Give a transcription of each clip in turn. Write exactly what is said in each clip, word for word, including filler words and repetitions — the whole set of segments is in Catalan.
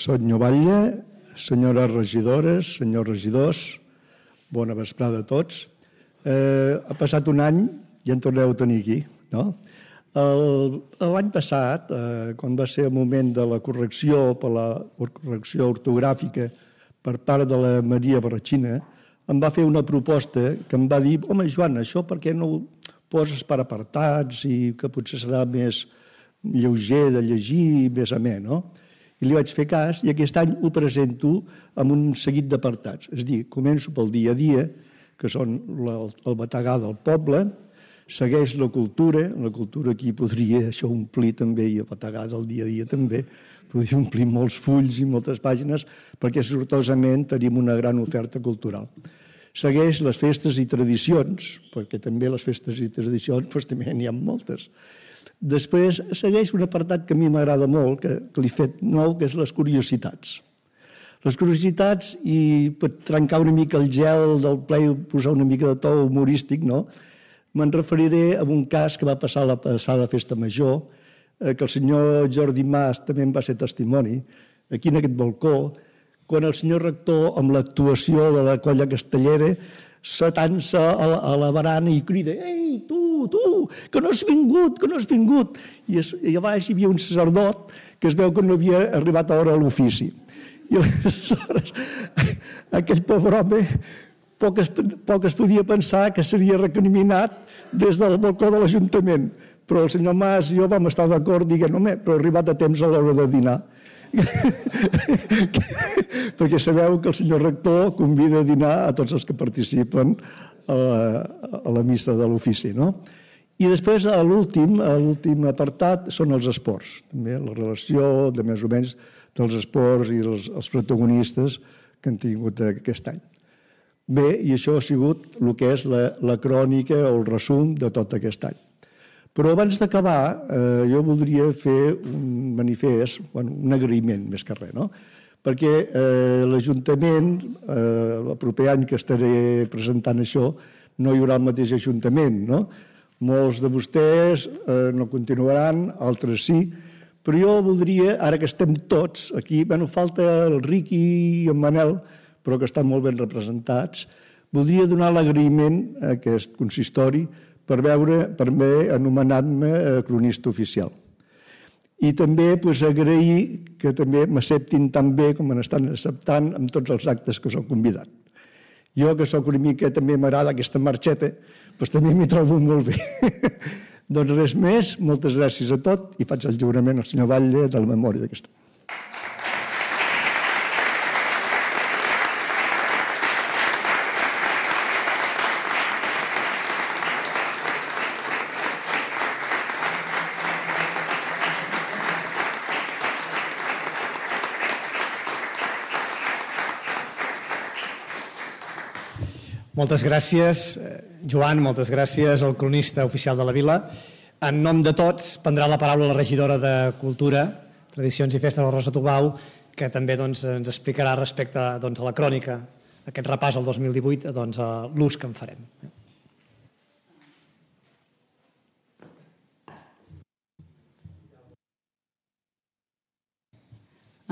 Senyor Batlle, senyores regidores, senyors regidors, bona vesprada a tots. Eh, ha passat un any i en torneu a tenir aquí, no? L'any passat, eh, quan va ser el moment de la correcció per la correcció ortogràfica per part de la Maria Barratxina, em va fer una proposta que em va dir: home, Joan, això per què no ho poses per apartats i que potser serà més lleuger de llegir, més amè, no? I li vaig fer cas i aquest any ho presento amb un seguit d'apartats. És a dir, començo pel dia a dia, que són el bategar del poble, segueix la cultura, la cultura aquí podria això omplir també, i el bategar del dia a dia també, podria omplir molts fulls i moltes pàgines, perquè sortosament tenim una gran oferta cultural. Segueix les festes i tradicions, perquè també les festes i tradicions doncs, també n'hi ha moltes. Després segueix un apartat que a mi m'agrada molt, que, que l'he fet nou, que és les curiositats. Les curiositats, i per trencar una mica el gel del ple i posar una mica de to humorístic, no? Me'n referiré a un cas que va passar a la passada festa major, eh, que el senyor Jordi Mas també en va ser testimoni, aquí en aquest balcó, quan el senyor rector, amb l'actuació de la colla castellera, s'atança a, a la barana i crida: «Ei, tu, tu, que no has vingut, que no has vingut!» I, es, i a baix hi havia un sacerdot que es veu que no havia arribat a hora a l'ofici. I aleshores aquell pobre home poc es, poc es podia pensar que seria recriminat des del balcó de l'Ajuntament. Però el senyor Mas i jo vam estar d'acord dient: «Home, però he arribat a temps a l'hora de dinar». Perquè sabeu que el senyor rector convida a dinar a tots els que participen a la, a la missa de l'ofici, no? I després, a l'últim, a l'últim apartat, són els esports. També la relació de més o menys dels esports i els, els protagonistes que han tingut aquest any. Bé, i això ha sigut el que és la, la crònica o el resum de tot aquest any. Però abans d'acabar, eh, jo voldria fer un manifest, bueno, un agraïment més que res, no? Perquè eh, l'Ajuntament, eh, el proper any que estaré presentant això, no hi haurà el mateix Ajuntament, no? Molts de vostès eh, no continuaran, altres sí, però jo voldria, ara que estem tots aquí, bueno, falta el Riqui i en Manel, però que estan molt ben representats, voldria donar l'agraïment a aquest consistori per veure, per haver anomenat-me cronista oficial. I també pues, agrair que també m'acceptin tan bé com m'estan acceptant amb tots els actes que s'ho convidat. Jo, que soc una mica, també m'agrada aquesta marxeta, doncs també m'hi trobo molt bé. Doncs res més, moltes gràcies a tot i faig el lliurament al senyor Batlle de la memòria d'aquesta. Moltes gràcies, Joan, moltes gràcies al cronista oficial de la Vila. En nom de tots prendrà la paraula la regidora de Cultura, Tradicions i Festes, la Rosa Tubau, que també doncs, ens explicarà respecte doncs, a la crònica, aquest repàs al dos mil divuit, doncs, a l'ús que en farem.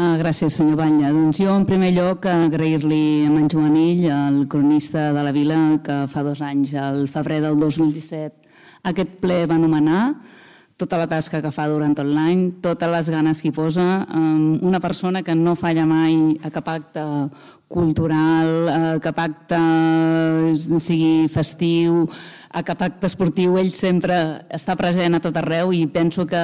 Gràcies, senyor Batlle. Doncs jo, en primer lloc, agrair-li a en Joanill, el cronista de la Vila, que fa dos anys, al febrer del dos mil disset, aquest ple va anomenar, tota la tasca que fa durant tot l'any, totes les ganes que hi posa, una persona que no falla mai a cap acte cultural, a cap acte sigui festiu, a cap acte esportiu, ell sempre està present a tot arreu i penso que,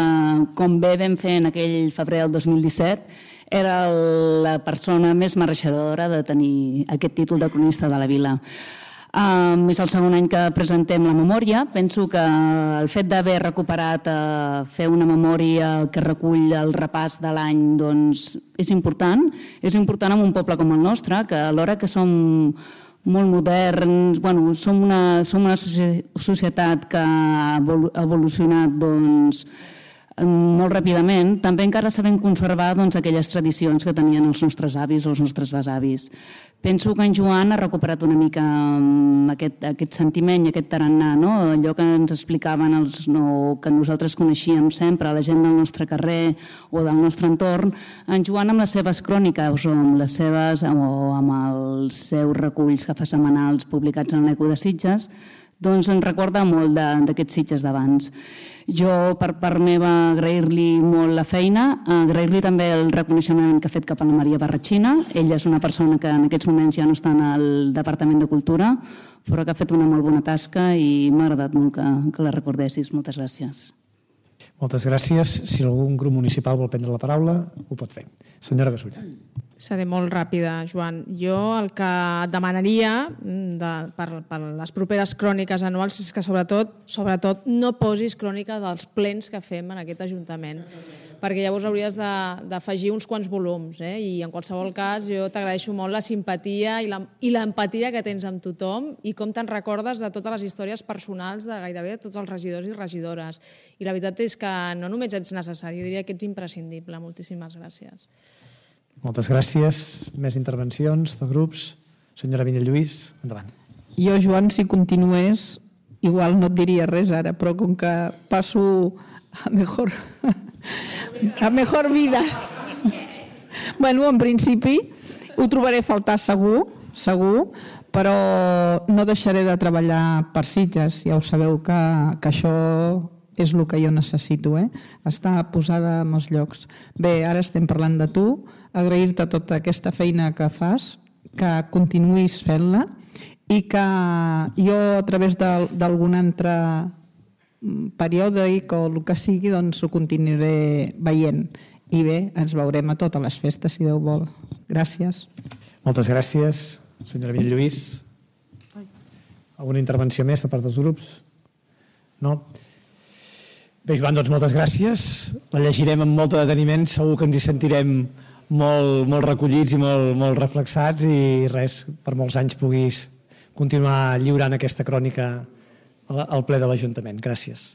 com bé vam fer en aquell febrer del dos mil disset, era la persona més mereixedora de tenir aquest títol de cronista de la Vila. Um, és el segon any que presentem la memòria. Penso que el fet d'haver recuperat uh, fer una memòria que recull el repàs de l'any doncs, és important. És important en un poble com el nostre, que alhora que som molt moderns, bueno, som una, som una societat que ha evolucionat doncs, molt ràpidament, també encara sabem conservar doncs, aquelles tradicions que tenien els nostres avis o els nostres besavis. Penso que en Joan ha recuperat una mica aquest, aquest sentiment i aquest tarannà, no? Allò que ens explicaven els, no, que nosaltres coneixíem sempre, la gent del nostre carrer o del nostre entorn. En Joan, amb les seves cròniques o amb, les seves, o amb els seus reculls que fa setmanals publicats en l'Eco de Sitges, doncs ens recorda molt d'aquests Sitges d'abans. Jo, per part meva, agrair-li molt la feina, agrair-li també el reconeixement que ha fet cap a la Maria Barratxina. Ella és una persona que en aquests moments ja no està en el Departament de Cultura, però que ha fet una molt bona tasca i m'ha agradat molt que, que la recordessis. Moltes gràcies. Moltes gràcies. Si algun grup municipal vol prendre la paraula, ho pot fer. Senyora Gasulla. Seré molt ràpida, Joan. Jo el que et demanaria de, per, per les properes cròniques anuals és que sobretot, sobretot no posis crònica dels plens que fem en aquest Ajuntament, perquè llavors hauries d'afegir uns quants volums. Eh? I en qualsevol cas jo t'agraeixo molt la simpatia i l'empatia que tens amb tothom i com te'n recordes de totes les històries personals de gairebé tots els regidors i regidores. I la veritat és que no només ets necessari, jo diria que ets imprescindible. Moltíssimes gràcies. Moltes gràcies. Més intervencions de grups. Senyora Vinyalluís, endavant. Jo, Joan, si continués, igual no et diria res ara, però com que passo a mejor, a mejor vida. Bueno, en principi ho trobaré a faltar segur, segur, però no deixaré de treballar per Sitges. Ja ho sabeu que, que això és el que jo necessito, eh? Estar posada en els llocs. Bé, ara estem parlant de tu, agrair-te tota aquesta feina que fas, que continuïs fent-la i que jo a través d'algun altre periòdic o el que sigui, doncs ho continuaré veient. I bé, ens veurem a totes les festes, si Déu vol. Gràcies. Moltes gràcies. Senyora Vinyalluís, alguna intervenció més de part dels grups? No? Bé, Joan, doncs moltes gràcies. La llegirem amb molt de deteniment, segur que ens hi sentirem molt, molt recollits i molt, molt reflexats i res, per molts anys puguis continuar lliurant aquesta crònica al ple de l'Ajuntament. Gràcies.